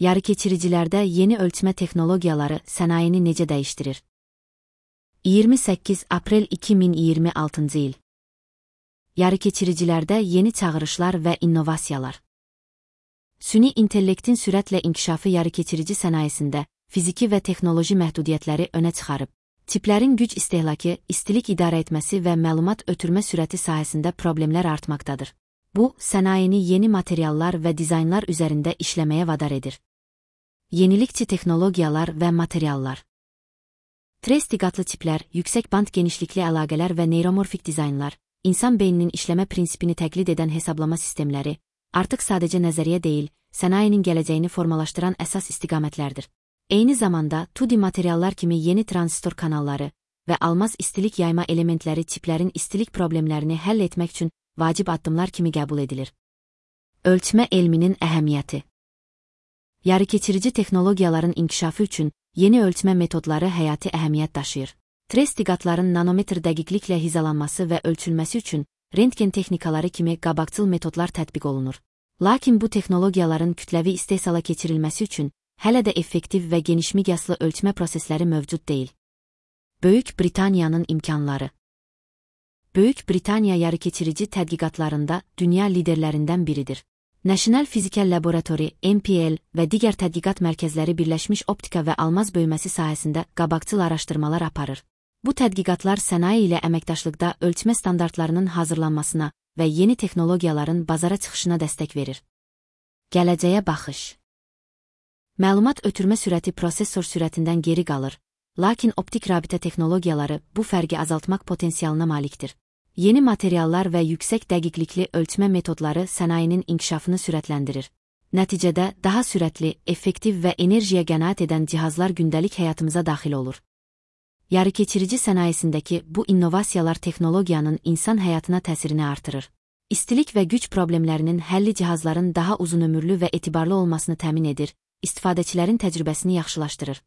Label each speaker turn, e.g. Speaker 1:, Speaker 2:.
Speaker 1: Yarıkeçiricilərdə yeni ölçmə texnologiyaları sənayeni necə dəyişdirir? 28 aprel 2026-cı il. Yarıkeçiricilərdə yeni çağırışlar və innovasiyalar. Süni intellektin sürətlə inkişafı yarıkeçirici sənayesində fiziki və texnoloji məhdudiyyətləri önə çıxarıb. Çiplərin güc istehlakı, istilik idarə etməsi və məlumat ötürmə sürəti sahəsində problemlər artmaqdadır. Bu, sənayeni yeni materiallar və dizaynlar üzərində işləməyə vadar edir. Yenilikçi texnologiyalar və materiallar. Trestiqatlı çiplər, yüksək band genişlikli əlaqələr və neyromorfik dizaynlar, insan beyninin işləmə prinsipini təqlid edən hesablama sistemləri, artıq sadəcə nəzəriyyə deyil, sənayenin gələcəyini formalaşdıran əsas istiqamətlərdir. Eyni zamanda, 2D materiallar kimi yeni transistor kanalları və almaz istilik yayma elementləri çiplərin istilik problemlərini həll etmək üçün vacib addımlar kimi qəbul edilir. Ölçmə elminin əhəmiyyəti. Yarıkeçirici texnologiyaların inkişafı üçün yeni ölçmə metodları həyati əhəmiyyət daşıyır. Trestiqatların nanometr dəqiqliklə hizalanması və ölçülməsi üçün rentgen texnikaları kimi qabaqcıl metodlar tətbiq olunur. Lakin bu texnologiyaların kütləvi istehsala keçirilməsi üçün hələ də effektiv və genişmiqyaslı ölçmə prosesləri mövcud deyil. Böyük Britaniyanın imkanları. Böyük Britaniya yarıkeçirici tədqiqatlarında dünya liderlərindən biridir. National Physical Laboratory, NPL və digər tədqiqat mərkəzləri birləşmiş optika və almaz bölməsi sahəsində qabaqcıl araşdırmalar aparır. Bu tədqiqatlar sənaye ilə əməkdaşlıqda ölçmə standartlarının hazırlanmasına və yeni texnologiyaların bazara çıxışına dəstək verir. Gələcəyə baxış. Məlumat ötürmə sürəti prosesor sürətindən geri qalır, lakin optik rabitə texnologiyaları bu fərqi azaltmaq potensialına malikdir. Yeni materiallar və yüksək dəqiqlikli ölçmə metodları sənayenin inkişafını sürətləndirir. Nəticədə daha sürətli, effektiv və enerjiyə qənaət edən cihazlar gündəlik həyatımıza daxil olur. Yarıkeçirici sənayesindəki bu innovasiyalar texnologiyanın insan həyatına təsirini artırır. İstilik və güc problemlərinin həlli cihazların daha uzunömürlü və etibarlı olmasını təmin edir, istifadəçilərin təcrübəsini yaxşılaşdırır.